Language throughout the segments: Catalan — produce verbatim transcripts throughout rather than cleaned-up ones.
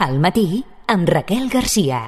Al matí, amb Raquel Garcia.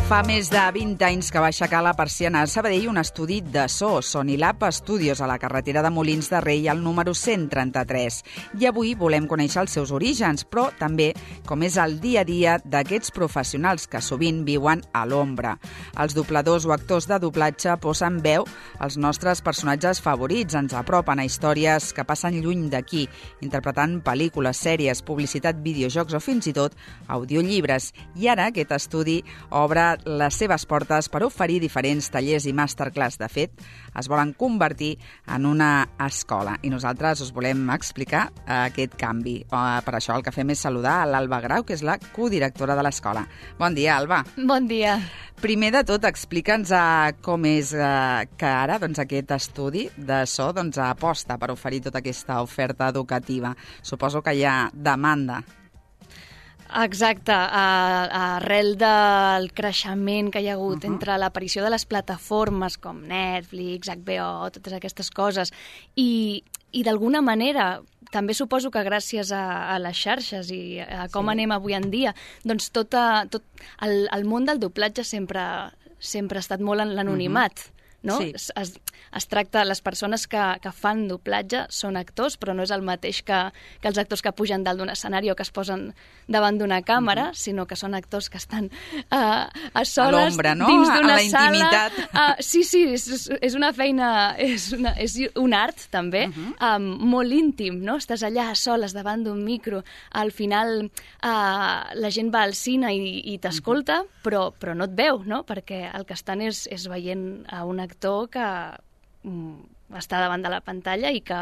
Fa més de vint anys que va aixecar la persiana a Sabadell un estudi de so, Sonilab Studios, a la carretera de Molins de Rei, al número cent trenta-tres. I avui volem conèixer els seus orígens, però també com és el dia a dia d'aquests professionals que sovint viuen a l'ombra. Els dobladors o actors de doblatge posen veu als nostres personatges favorits, ens apropen a històries que passen lluny d'aquí, interpretant pel·lícules, sèries, publicitat, videojocs o fins i tot audiollibres. I ara aquest estudi obre les seves portes per oferir diferents tallers i masterclass. De fet, es volen convertir en una escola i nosaltres us volem explicar aquest canvi. Per això el que fem és saludar a l'Alba Grau, que és la codirectora de l'escola. Bon dia, Alba. Bon dia. Primer de tot, explica'ns com és que ara doncs, aquest estudi de so doncs, aposta per oferir tota aquesta oferta educativa. Suposo que hi ha demanda. Exacte, arrel del creixement que hi ha hagut uh-huh. entre l'aparició de les plataformes com Netflix, H B O, totes aquestes coses, i, i d'alguna manera també suposo que gràcies a, a les xarxes i a com sí. anem avui en dia, doncs tot, a, tot el, el món del doblatge sempre, sempre ha estat molt en l'anonimat. Uh-huh. No? Sí. Es, es, es tracta, les persones que, que fan doblatge són actors, però no és el mateix que, que els actors que pugen dalt d'un escenari o que es posen davant d'una càmera, uh-huh. sinó que són actors que estan uh, a soles, a no? dins d'una a la intimitat. sala. Uh, sí, sí, és, és una feina, és, una, és un art també, uh-huh. um, molt íntim, no? Estàs allà a soles davant d'un micro, al final uh, la gent va al cine i, i t'escolta, uh-huh. però, però no et veu, no? Perquè el que estan és, és veient a un actor que mm, està davant de la pantalla i que,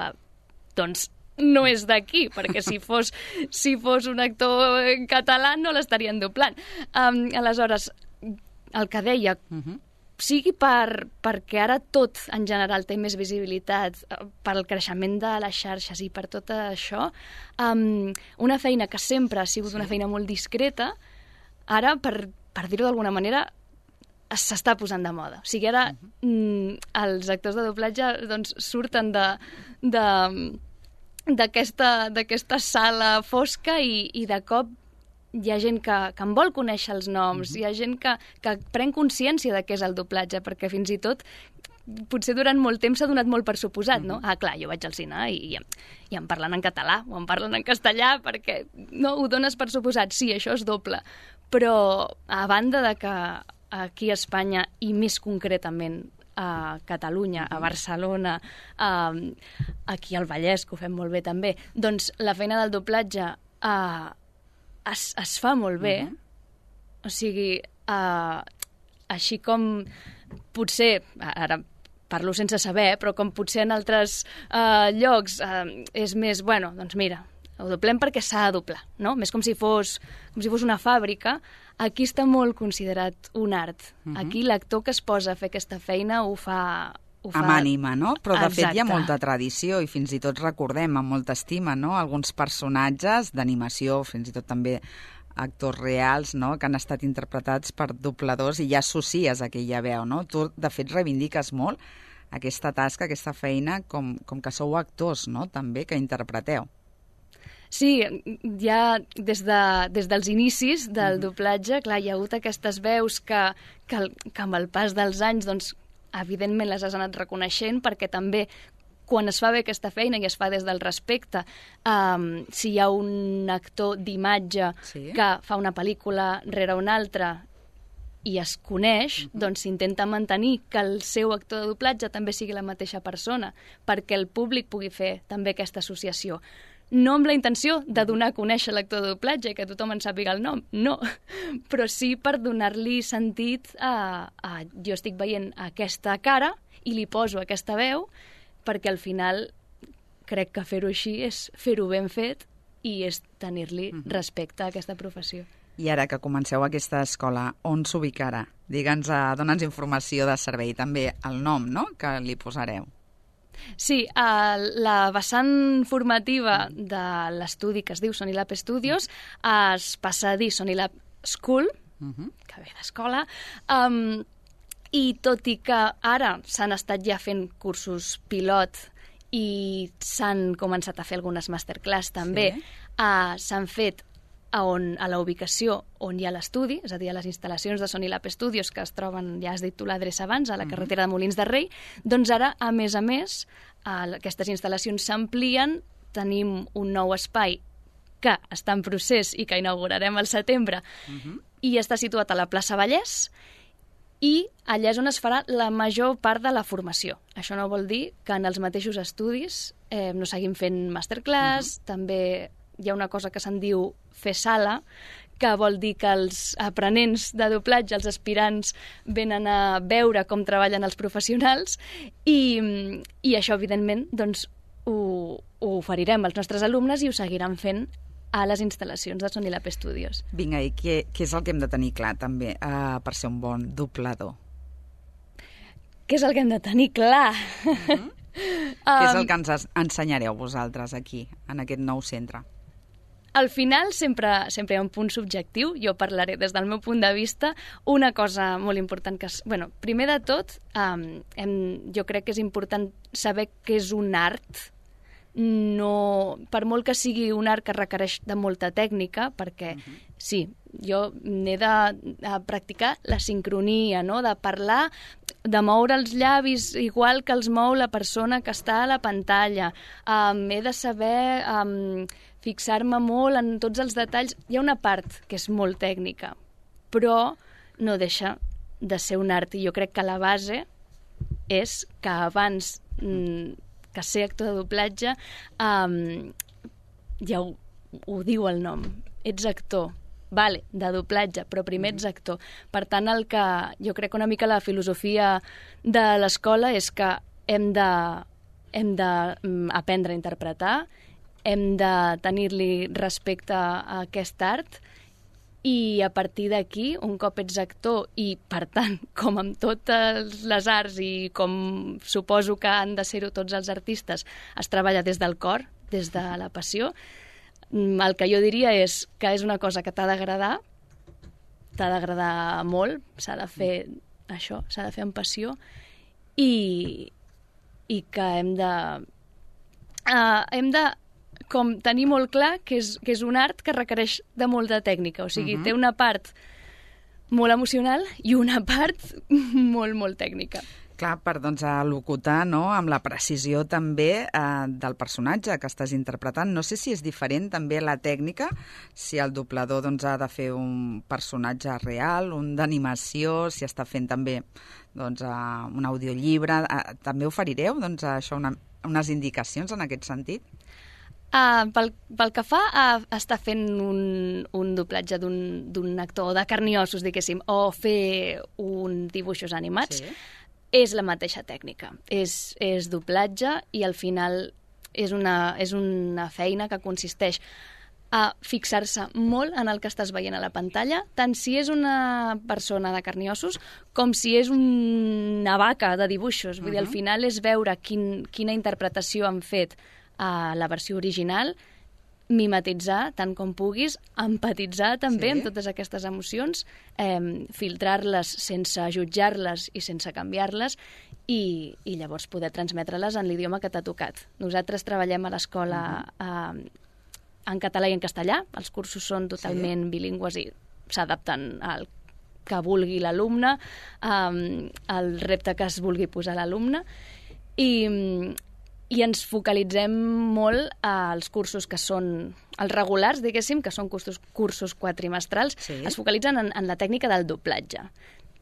doncs, no és d'aquí, perquè si fos, si fos un actor català no l'estarien doblant. Um, aleshores, el que deia, uh-huh. sigui per, perquè ara tot en general té més visibilitat, pel creixement de les xarxes i per tot això, um, una feina que sempre ha sigut sí. una feina molt discreta, ara, per, per dir-ho d'alguna manera, s'està posant de moda. O sigui, ara uh-huh. mm, els actors de doblatge doncs, surten de, de, d'aquesta, d'aquesta sala fosca i, i de cop hi ha gent que, que en vol conèixer els noms, uh-huh. hi ha gent que, que pren consciència de què és el doblatge, perquè fins i tot potser durant molt temps s'ha donat molt per suposat, no? Uh-huh. Ah, clar, jo vaig al cine i, i, i em parlen en català o em parlen en castellà perquè no ho dones per suposat. Sí, això és doble. Però a banda de que aquí a Espanya i més concretament a Catalunya, a Barcelona, a, aquí al Vallès, que ho fem molt bé també, doncs la feina del doblatge uh, es, es fa molt bé. Uh-huh. O sigui, uh, així com potser, ara parlo sense saber, però com potser en altres uh, llocs uh, és més, bueno, doncs mira, ho doblem perquè s'ha de doblar, no? Més com si fos, com si fos una fàbrica. Aquí està molt considerat un art. Uh-huh. Aquí l'actor que es posa a fer aquesta feina ho fa... Ho fa... amb ànima, no? Però de Exacte. fet hi ha molta tradició i fins i tot recordem amb molta estima, no? Alguns personatges d'animació, fins i tot també actors reals, no? Que han estat interpretats per dobladors i ja associes aquella veu, no? Tu, de fet, reivindiques molt aquesta tasca, aquesta feina, com, com que sou actors, no? També, que interpreteu. Sí, ja des, de, des dels inicis del doblatge, clar, hi ha hagut aquestes veus que, que, que amb el pas dels anys, doncs, evidentment les has anat reconeixent, perquè també quan es fa bé aquesta feina i es fa des del respecte, um, si hi ha un actor d'imatge sí. que fa una pel·lícula rere una altra i es coneix, uh-huh. doncs s'intenta mantenir que el seu actor de doblatge també sigui la mateixa persona, perquè el públic pugui fer també aquesta associació. No amb la intenció de donar a conèixer l'actor de doblatge, que tothom en sàpiga el nom, no, però sí per donar-li sentit a, a jo estic veient aquesta cara i li poso aquesta veu, perquè al final crec que fer-ho així és fer-ho ben fet i és tenir-li uh-huh. respecte a aquesta professió. I ara que comenceu aquesta escola, on s'ubicarà? Digue'ns, dona'ns informació de servei, també el nom, no?, que li posareu. Sí, uh, la vessant formativa de l'estudi que es diu Sonilab Studios es passa a dir Sonilab School, uh-huh. que ve d'escola, um, i tot i que ara s'han estat ja fent cursos pilot i s'han començat a fer algunes masterclass també, sí. uh, s'han fet a, on, a la ubicació on hi ha l'estudi, és a dir, a les instal·lacions de Sonilab Studios, que es troben, ja has dit tu l'adreça abans, a la carretera de Molins de Rei, doncs ara, a més a més, uh, aquestes instal·lacions s'amplien, tenim un nou espai que està en procés i que inaugurarem al setembre, uh-huh. i està situat a la plaça Vallès, i allà és on es farà la major part de la formació. Això no vol dir que en els mateixos estudis eh, no seguim fent masterclass, uh-huh. també hi ha una cosa que se'n diu fer sala, que vol dir que els aprenents de doblatge, els aspirants, venen a veure com treballen els professionals i, i això, evidentment, doncs, ho, ho oferirem als nostres alumnes i ho seguiran fent a les instal·lacions de Sonilab Studios. Vinga, i què, què és el que hem de tenir clar, també, uh, per ser un bon doblador? Què és el que hem de tenir clar? Uh-huh. um, què és el que ens ensenyareu vosaltres aquí, en aquest nou centre? Al final sempre, sempre hi ha un punt subjectiu. Jo parlaré des del meu punt de vista. Una cosa molt important que... És, bueno, primer de tot, um, hem, jo crec que és important saber què és un art. No, per molt que sigui un art que requereix de molta tècnica, perquè uh-huh. sí, jo n'he de, de practicar la sincronia, no? De parlar, de moure els llavis igual que els mou la persona que està a la pantalla. Um, he de saber um, fixar-me molt en tots els detalls. Hi ha una part que és molt tècnica, però no deixa de ser un art. I jo crec que la base és que abans... Mm, que ser actor de doblatge, um, ja ho, ho diu el nom, ets actor, vale, de doblatge, però primer ets actor. Per tant, el que jo crec que una mica la filosofia de l'escola és que hem de, hem de um, aprendre a interpretar, hem de tenir-li respecte a aquest art i a partir d'aquí, un cop ets actor i, per tant, com amb totes les arts i com suposo que han de ser-ho tots els artistes, es treballa des del cor, des de la passió, el que jo diria és que és una cosa que t'ha d'agradar, t'ha d'agradar molt, s'ha de fer això, s'ha de fer amb passió i, i que hem de... Uh, hem de com tenir molt clar que és, que és un art que requereix de molta tècnica. O sigui, uh-huh. té una part molt emocional i una part molt, molt tècnica. Clar, per doncs, locutar, no?, amb la precisió també eh, del personatge que estàs interpretant. No sé si és diferent també la tècnica, si el doblador doncs, ha de fer un personatge real, un d'animació, si està fent també doncs, uh, un audiollibre. Uh, també oferireu doncs, això, una, unes indicacions en aquest sentit? Uh, pel, pel que fa a estar fent un, un doblatge d'un actor de carn i ossos, diguéssim, o fer un dibuixos animats, sí. és la mateixa tècnica. És, és doblatge i al final és una, és una feina que consisteix a fixar-se molt en el que estàs veient a la pantalla, tant si és una persona de carn i ossos com si és una vaca de dibuixos. Vull uh-huh. dir, al final és veure quin, quina interpretació han fet a la versió original, mimetitzar tant com puguis, empatitzar també sí. amb totes aquestes emocions, eh, filtrar-les sense jutjar-les i sense canviar-les i, i llavors poder transmetre-les en l'idioma que t'ha tocat. Nosaltres treballem a l'escola uh-huh. eh, en català i en castellà, els cursos són totalment sí. bilingües i s'adapten al que vulgui l'alumne, eh, al repte que es vulgui posar l'alumne i i ens focalitzem molt als cursos que són els regulars, diguéssim, que són cursos, cursos quatrimestrals, sí. es focalitzen en, en la tècnica del doblatge.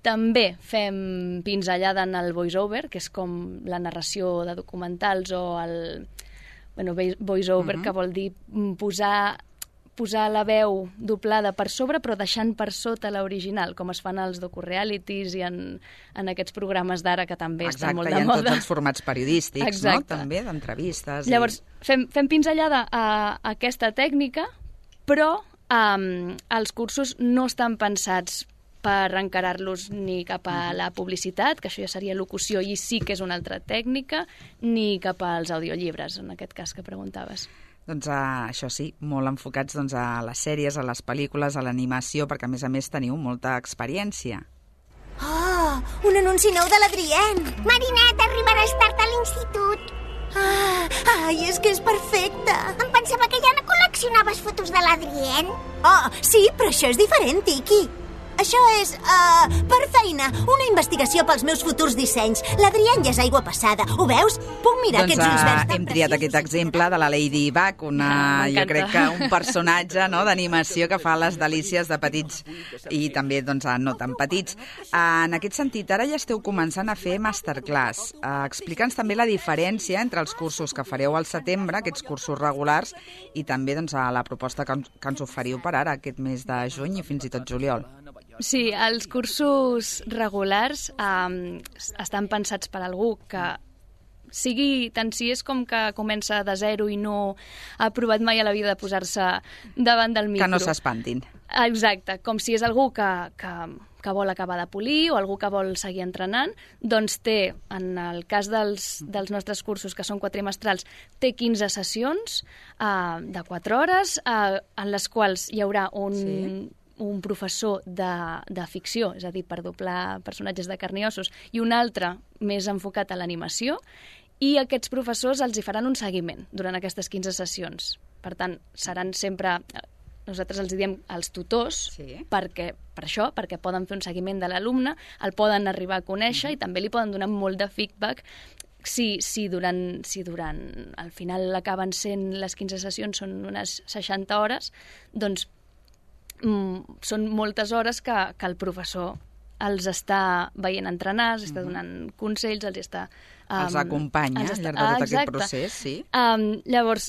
També fem pinzellada en el voice-over, que és com la narració de documentals o el bueno, voice-over, uh-huh. que vol dir posar, posar la veu doblada per sobre però deixant per sota l'original, com es fan als docu-realities i en, en aquests programes d'ara que també Exacte, estan molt de moda. Exacte, i en tots els formats periodístics, Exacte. no? També, d'entrevistes. Llavors, i... fem, fem pinzellada a, a aquesta tècnica, però um, els cursos no estan pensats per encarar-los ni cap a la publicitat, que això ja seria locució i sí que és una altra tècnica, ni cap als audiollibres, en aquest cas que preguntaves. Doncs uh, això sí, molt enfocats doncs, a les sèries, a les pel·lícules, a l'animació, perquè a més a més teniu molta experiència. Oh, un anunci nou de l'Adrien! Marinette, arribaràs tard a l'institut. Ah, ai, és que és perfecte! Em pensava que ja no col·leccionaves fotos de l'Adrien. Oh, sí, però això és diferent, Tiki. Això és, uh, per feina, una investigació pels meus futurs dissenys. L'Adrien ja és aigua passada. Ho veus? Puc mirar doncs, aquests ulls verds tan hem triat aquest exemple de la Ladybug, una, Ah, jo crec que un personatge no, d'animació que fa les delícies de petits i també doncs, no tan petits. En aquest sentit, ara ja esteu començant a fer masterclass. Uh, Explica'ns també la diferència entre els cursos que fareu al setembre, aquests cursos regulars, i també doncs, a la proposta que, que ens oferiu per ara, aquest mes de juny i fins i tot juliol. Sí, els cursos regulars um, estan pensats per algú que sigui tant si és com que comença de zero i no ha provat mai a la vida de posar-se davant del micro. Que no s'espantin. Exacte, com si és algú que, que, que vol acabar de polir o algú que vol seguir entrenant, doncs té, en el cas dels, dels nostres cursos, que són quadrimestrals, té quinze sessions uh, de quatre hores, uh, en les quals hi haurà un... Sí. un professor de, de ficció, és a dir, per doblar personatges de carn i ossos, i un altre més enfocat a l'animació, i aquests professors els hi faran un seguiment durant aquestes quinze sessions. Per tant, seran sempre... Nosaltres els diem els tutors, sí. perquè, per això, perquè poden fer un seguiment de l'alumne, el poden arribar a conèixer mm-hmm. i també li poden donar molt de feedback si, si, durant, si durant... Al final acaben sent les quinze sessions, són unes seixanta hores, doncs Mm, són moltes hores que, que el professor els està veient entrenar, els està donant consells, els està... Um, els acompanya els està, al llarg de tot ah, aquest procés, sí. Um, llavors,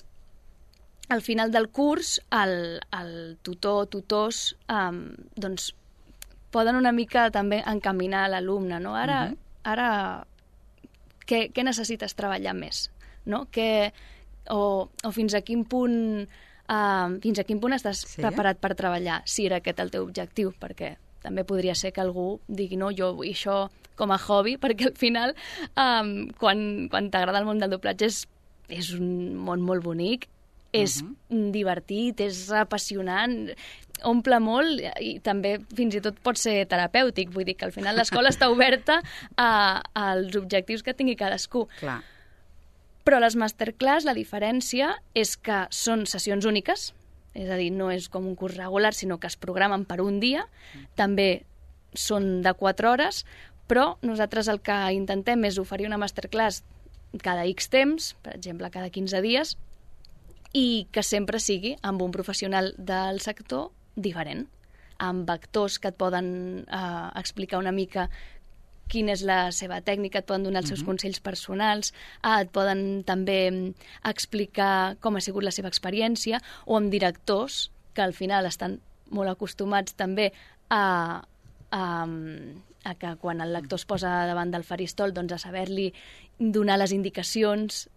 al final del curs, el, el tutor, tutors, um, doncs, poden una mica també encaminar l'alumne, no? Ara, uh-huh. ara què, què necessites treballar més? No? Que, o, o fins a quin punt... Uh, fins a quin punt estàs sí? preparat per treballar, si era aquest el teu objectiu, perquè també podria ser que algú digui no, jo vull això com a hobby, perquè al final um, quan, quan t'agrada el món del doblatge és, és un món molt bonic, és uh-huh. divertit, és apassionant, omple molt i també fins i tot pot ser terapèutic, vull dir que al final l'escola està oberta a, als objectius que tingui cadascú. Clar. Però les masterclass, la diferència és que són sessions úniques, és a dir, no és com un curs regular, sinó que es programen per un dia, també són de quatre hores, però nosaltres el que intentem és oferir una masterclass cada X temps, per exemple, cada quinze dies, i que sempre sigui amb un professional del sector diferent, amb actors que et poden eh, explicar una mica quina és la seva tècnica, et poden donar els seus uh-huh. consells personals, eh, et poden també explicar com ha sigut la seva experiència, o amb directors que al final estan molt acostumats també a, a, a que quan el lector es posa davant del faristol doncs a saber-li donar les indicacions,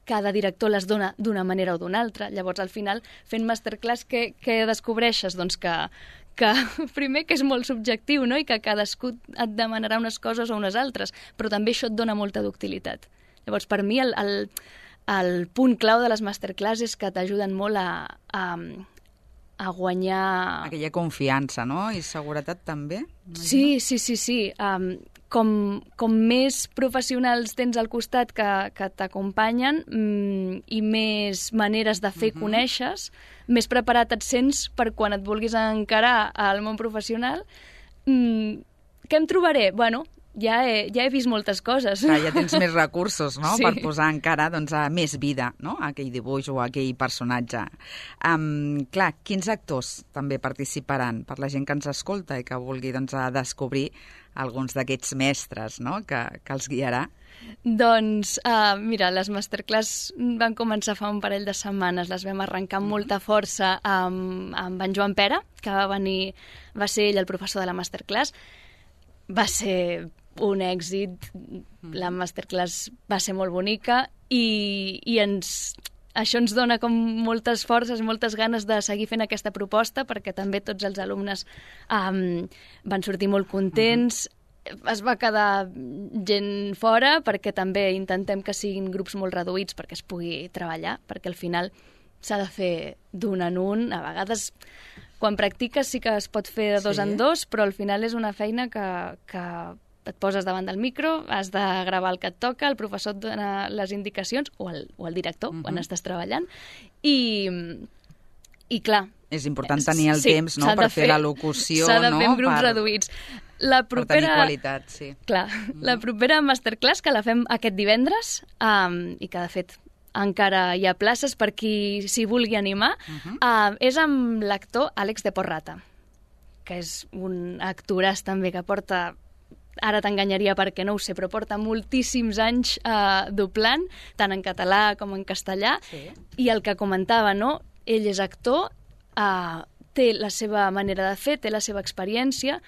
cada director les dona d'una manera o d'una altra. Llavors, al final, fent masterclass, què, què descobreixes? Doncs que, que primer que és molt subjectiu, no? I que cadascú et demanarà unes coses o unes altres, però també això et dona molta ductilitat. Llavors, per mi, el, el, el punt clau de les masterclass és que t'ajuden molt a, a, a guanyar... Aquella confiança, no? I seguretat també? Sí, sí, sí, sí. Um, com, com més professionals tens al costat que, que t'acompanyen mm, i més maneres de fer uh-huh. coneixes, més preparat et sents per quan et vulguis encarar al món professional. Mm, què em trobaré? Bueno, ja he, ja he vist moltes coses. Clar, ja tens més recursos, no?, sí. per posar encara doncs, a més vida, no?, a aquell dibuix o a aquell personatge. Um, clar, quins actors també participaran per la gent que ens escolta i que vulgui doncs, a descobrir alguns d'aquests mestres, no?, que, que els guiarà? Doncs, uh, mira, les masterclass van començar fa un parell de setmanes, les vam arrencar amb molta força amb, amb en Joan Pera, que va venir, va ser ell el professor de la masterclass. Va ser un èxit, la masterclass va ser molt bonica i, i ens, això ens dona com moltes forces, moltes ganes de seguir fent aquesta proposta, perquè també tots els alumnes um, van sortir molt contents. Uh-huh. Es va quedar gent fora perquè també intentem que siguin grups molt reduïts perquè es pugui treballar, perquè al final s'ha de fer d'un en un. A vegades, quan practiques sí que es pot fer de dos Sí. en dos, però al final és una feina que, que et poses davant del micro, has de gravar el que et toca, el professor et dona les indicacions, o el, o el director, uh-huh. quan estàs treballant, i, i clar... És important tenir el sí, temps, no?, s'ha de per fer la locució, s'ha de no?, fer en grups per, reduïts. La per tenir propera... qualitat, sí. Clar, mm. la propera masterclass, que la fem aquest divendres, um, i que de fet encara hi ha places per qui s'hi vulgui animar, uh-huh. uh, és amb l'actor Àlex de Porrata, que és un actoràs també que porta... Ara t'enganyaria perquè no ho sé, però porta moltíssims anys uh, doblant, tant en català com en castellà, sí. I el que comentava, no? Ell és actor, uh, té la seva manera de fer, té la seva experiència,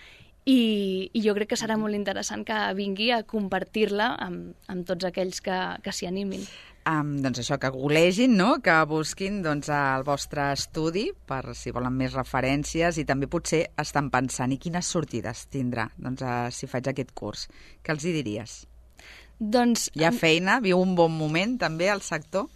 i, i jo crec que serà molt interessant que vingui a compartir-la amb, amb tots aquells que, que s'hi animin. Um, doncs això, que googlegin, no?, que busquin doncs, el vostre estudi per si volen més referències i també potser estan pensant i quines sortides tindrà doncs, uh, si faig aquest curs. Què els hi diries? Doncs... Hi ha feina? Viu un bon moment també al sector?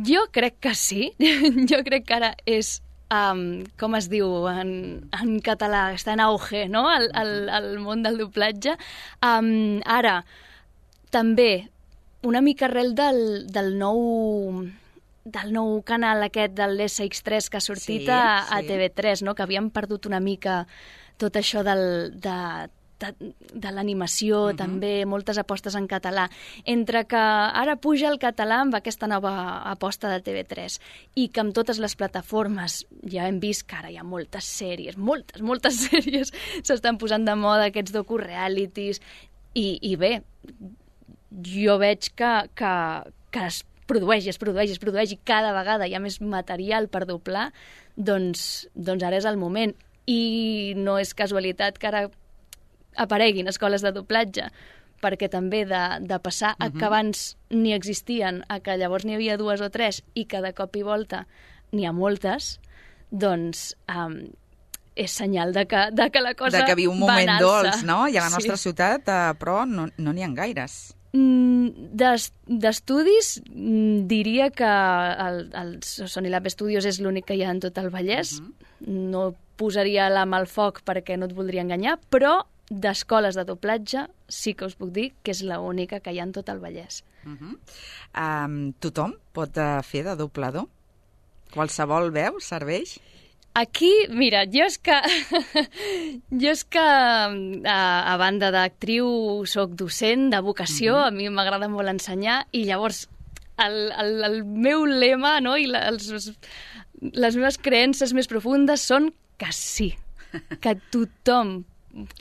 Jo crec que sí. Jo crec que ara és, um, com es diu en, en català, està en auge, no?, el, el, el món del doblatge. Um, ara, també... una mica arrel del, del nou del nou canal aquest del esse ics tres que ha sortit sí, a, a sí. te ve tres, no? Que havíem perdut una mica tot això del, de, de, de l'animació, uh-huh. també moltes apostes en català. Entre que ara puja el català amb aquesta nova aposta de te ve tres i que amb totes les plataformes ja hem vist que ara hi ha moltes sèries, moltes, moltes sèries s'estan posant de moda, aquests docu-realities, i, i bé, jo veig que, que, que es produeix, es produeix, es produeix, i cada vegada hi ha més material per doblar, doncs, doncs ara és el moment. I no és casualitat que ara apareguin escoles de doblatge, perquè també de, de passar a que abans ni existien, a que llavors n'hi havia dues o tres, i que de cop i volta n'hi ha moltes, doncs... Um, és senyal de que, de que la cosa de que viu un moment dolç, no? I a la nostra sí. ciutat, eh, però no n'hi no ha gaires. D'estudis, diria que el, el Sony Lab Studios és l'únic que hi ha en tot el Vallès. Uh-huh. No posaria la mà al foc perquè no et voldria enganyar, però d'escoles de doblatge sí que us puc dir que és l'única que hi ha en tot el Vallès. Uh-huh. um, tothom pot uh, fer de doblador? Qualsevol veu serveix? Aquí, mira, jo és que, jo és que a, a banda d'actriu soc docent de vocació, mm-hmm. a mi m'agrada molt ensenyar, i llavors el, el, el meu lema, no, i la, els, les meves creences més profundes són que sí, que tothom,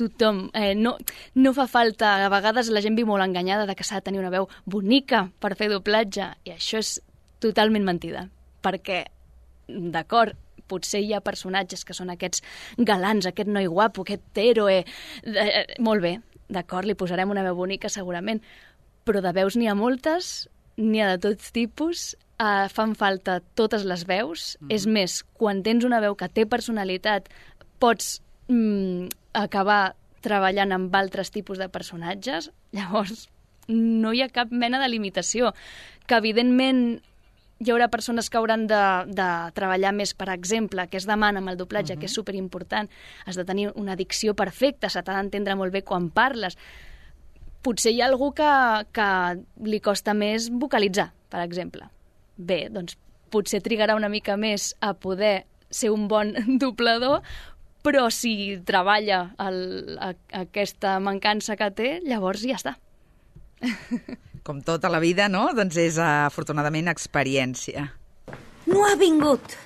tothom, eh, no, no fa falta, a vegades la gent viu molt enganyada de que s'ha de tenir una veu bonica per fer doblatge, i això és totalment mentida, perquè, d'acord, potser hi ha personatges que són aquests galants, aquest noi guapo, aquest héroe... Eh, molt bé, d'acord, li posarem una veu bonica segurament, però de veus n'hi ha moltes, n'hi ha de tots tipus, eh, fan falta totes les veus. Mm-hmm. És més, quan tens una veu que té personalitat, pots mm, acabar treballant amb altres tipus de personatges, llavors no hi ha cap mena de limitació, que evidentment... Hi haurà persones que hauran de, de treballar més, per exemple, que es demana amb el doblatge, uh-huh. que és superimportant. Has de tenir una dicció perfecta, se t'ha d'entendre molt bé quan parles. Potser hi ha algú que, que li costa més vocalitzar, per exemple. Bé, doncs potser trigarà una mica més a poder ser un bon doblador, però si treballa el, a, aquesta mancança que té, llavors ja està. Com tota la vida, no? Doncs és, afortunadament, experiència. No ha vingut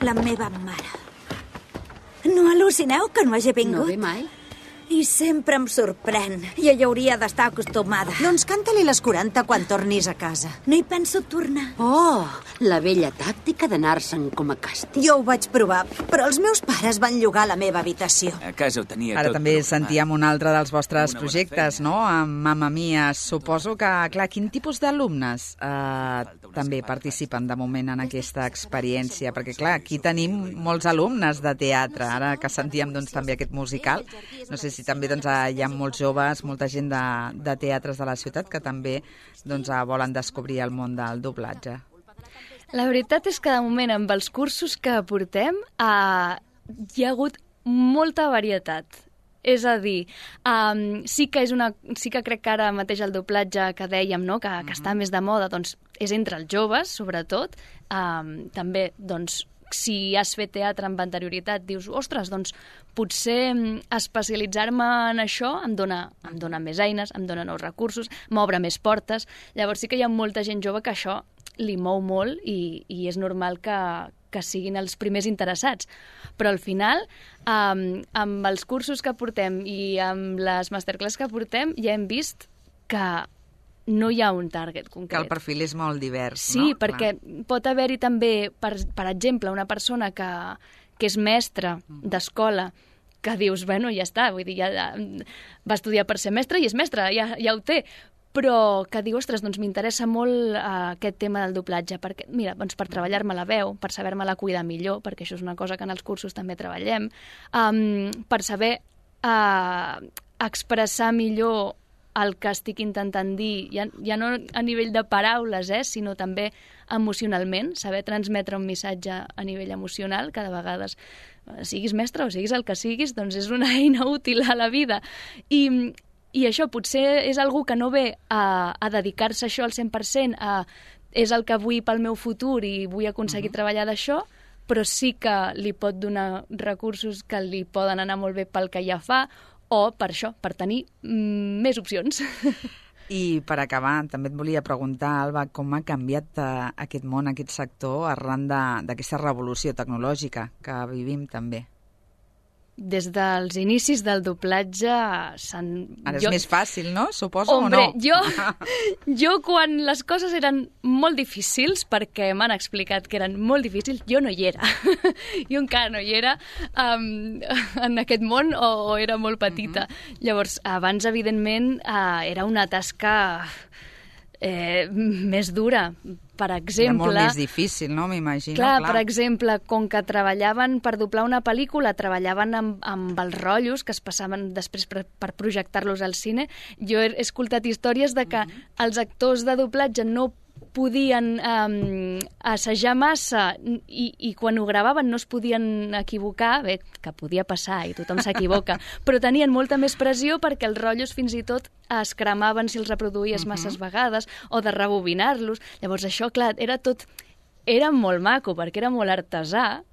la meva mare. No al·lucineu que no hagi vingut? No ve mai? I sempre em sorprèn. I ella hauria d'estar acostumada. Doncs canta-li les quaranta quan tornis a casa. No hi penso tornar. Oh, la vella tàctica d'anar-se'n com a càstig. Jo ho vaig provar, però els meus pares van llogar la meva habitació. A casa ho tenia Ara tot també programat. sentíem un altre dels vostres Una projectes, feina. no? Amb Mamma Mia. Suposo que, clar, quin tipus d'alumnes eh, també participen de moment en aquesta experiència? Perquè, clar, aquí tenim molts alumnes de teatre, ara que sentíem doncs, també aquest musical. No sé si també doncs, hi ha molts joves, molta gent de, de teatres de la ciutat que també doncs, volen descobrir el món del doblatge. La veritat és que de moment amb els cursos que portem uh, hi ha hagut molta varietat. És a dir, um, sí que és una, sí que crec que ara mateix el doblatge que dèiem, no? que, que està més de moda, doncs és entre els joves, sobretot. Um, també, doncs, si has fet teatre amb anterioritat, dius, ostres, doncs potser especialitzar-me en això em dona, em dona més eines, em dona nous recursos, m'obre més portes. Llavors sí que hi ha molta gent jove que això li mou molt i, i és normal que, que siguin els primers interessats. Però al final, um, amb els cursos que portem i amb les masterclass que portem, ja hem vist que no hi ha un target concret. Que el perfil és molt divers, sí, no? Sí, perquè Clar. pot haver-hi també, per, per exemple, una persona que, que és mestra d'escola, que dius, bueno, ja està, vull dir, ja, va estudiar per ser mestre i és mestre, ja, ja ho té, però que diu, ostres, doncs m'interessa molt uh, aquest tema del doblatge, perquè, mira, doncs per treballar-me la veu, per saber-me-la cuidar millor, perquè això és una cosa que en els cursos també treballem, um, per saber uh, expressar millor el que estic intentant dir, ja, ja no a nivell de paraules, eh, sinó també emocionalment, saber transmetre un missatge a nivell emocional, que de vegades, siguis mestre o siguis el que siguis, doncs és una eina útil a la vida. I, i això potser és algú que no ve a, a dedicar-se a això al cent per cent, a, és el que vull pel meu futur i vull aconseguir uh-huh. treballar d'això, però sí que li pot donar recursos que li poden anar molt bé pel que ja fa, o per això, per tenir mm, més opcions. I per acabar, també et volia preguntar, Alba, com ha canviat uh, aquest món, aquest sector, arran d'aquesta revolució tecnològica que vivim també? Des dels inicis del doblatge s'han... Ara és jo... més fàcil, no? Suposo Hombre, o no? Jo, jo quan les coses eren molt difícils, perquè m'han explicat que eren molt difícils, jo no hi era. Jo encara no hi era um, en aquest món o, o era molt petita. Uh-huh. Llavors, abans, evidentment, uh, era una tasca eh, més dura. Per exemple... Era molt més difícil, no? M'imagino. Clar, clar, per exemple, com que treballaven per doblar una pel·lícula, treballaven amb, amb els rotllos que es passaven després per, per projectar-los al cine, jo he escoltat històries de que uh-huh. els actors de doblatge no podien um, assajar massa i, i quan ho gravaven no es podien equivocar, bé, que podia passar i tothom s'equivoca, però tenien molta més pressió perquè els rotllos fins i tot es cremaven si els reproduïes uh-huh. masses vegades o de rebobinar-los. Llavors això, clar, era tot... Era molt maco perquè era molt artesà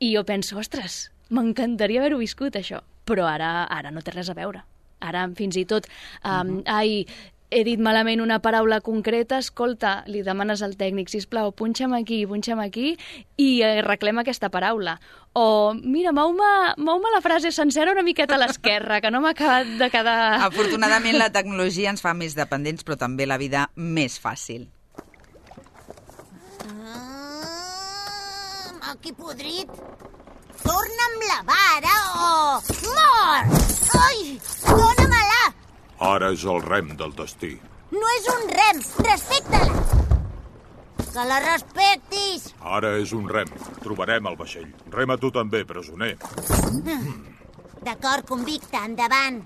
i jo penso, ostres, m'encantaria haver-ho viscut això, però ara, ara no té res a veure. Ara fins i tot, um, uh-huh. ai... he dit malament una paraula concreta, escolta, li demanes al tècnic, sisplau, punxa'm aquí, punxa'm aquí, i reclema aquesta paraula. O, mira, mou-me mou la frase sencera una miqueta a l'esquerra, que no m'ha acabat de quedar... Afortunadament la tecnologia ens fa més dependents, però també la vida més fàcil. Ah, maqui podrit. Torna'm la vara o... Mort! Ai, dóna-me-la! Ara és el rem del destí. No és un rem, respecta-la! Que la respectis! Ara és un rem. Trobarem el vaixell. Rema tu també, presoner. D'acord, convicte, endavant.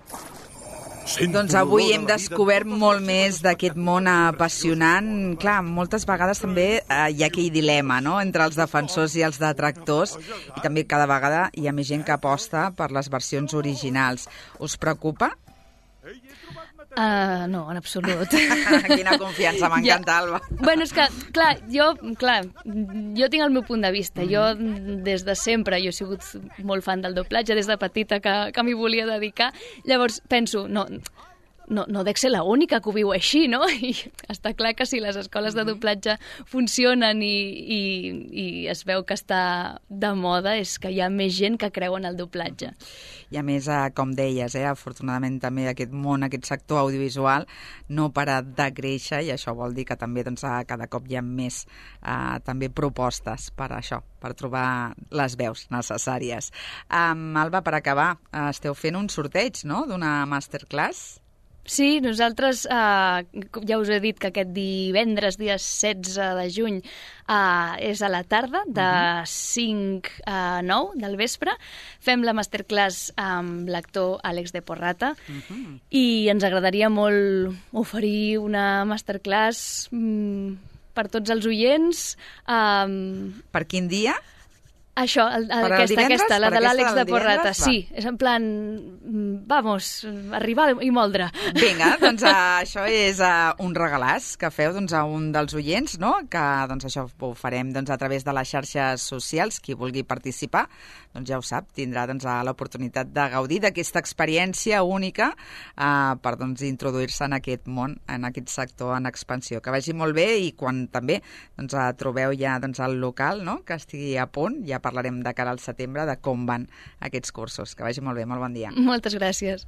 Sento doncs avui hem descobert molt més d'aquest món apassionant. Clar, moltes vegades també eh, hi ha aquell dilema, no?, entre els defensors i els detractors, i també cada vegada hi ha més gent que aposta per les versions originals. Us preocupa? Uh, no, en absolut. Quina confiança, m'encanta, ja. Alba. Bueno, és que, clar, jo, clar, jo tinc el meu punt de vista. Mm. Jo, des de sempre, jo he sigut molt fan del doblatge, des de petita que, que m'hi volia dedicar. Llavors, penso, no... No, no dec ser l'única que ho viu així, no? I està clar que si les escoles de doblatge funcionen i, i, i es veu que està de moda és que hi ha més gent que creu en el doblatge. I a més, com deies, eh, afortunadament també aquest món, aquest sector audiovisual no para de créixer i això vol dir que també doncs, cada cop hi ha més eh, també propostes per això, per trobar les veus necessàries. Um, Alba, per acabar, esteu fent un sorteig, no?, d'una masterclass? Sí, nosaltres, eh, ja us he dit que aquest divendres, dia setze de juny, eh, és a la tarda, de cinc a nou del vespre. Fem la masterclass amb l'actor Àlex de Porrata uh-huh. i ens agradaria molt oferir una masterclass mm, per tots els oients. Um... Per quin dia? Això, el, el, el aquesta, divendres? aquesta, la Per de aquesta l'Àlex del de Porrata. divendres? Va. Sí, és en plan, vamos, arribar i moldre. Vinga, doncs uh, això és uh, un regalàs que feu doncs, a un dels oients, no? Que doncs, això ho farem doncs, a través de les xarxes socials. Qui vulgui participar, doncs ja ho sap, tindrà doncs, l'oportunitat de gaudir d'aquesta experiència única uh, per doncs, introduir-se en aquest món, en aquest sector en expansió. Que vagi molt bé i quan també doncs, uh, trobeu ja doncs, el local, no? Que estigui a punt, ja parlarem de cara al setembre de com van aquests cursos. Que vagi molt bé, molt bon dia. Moltes gràcies.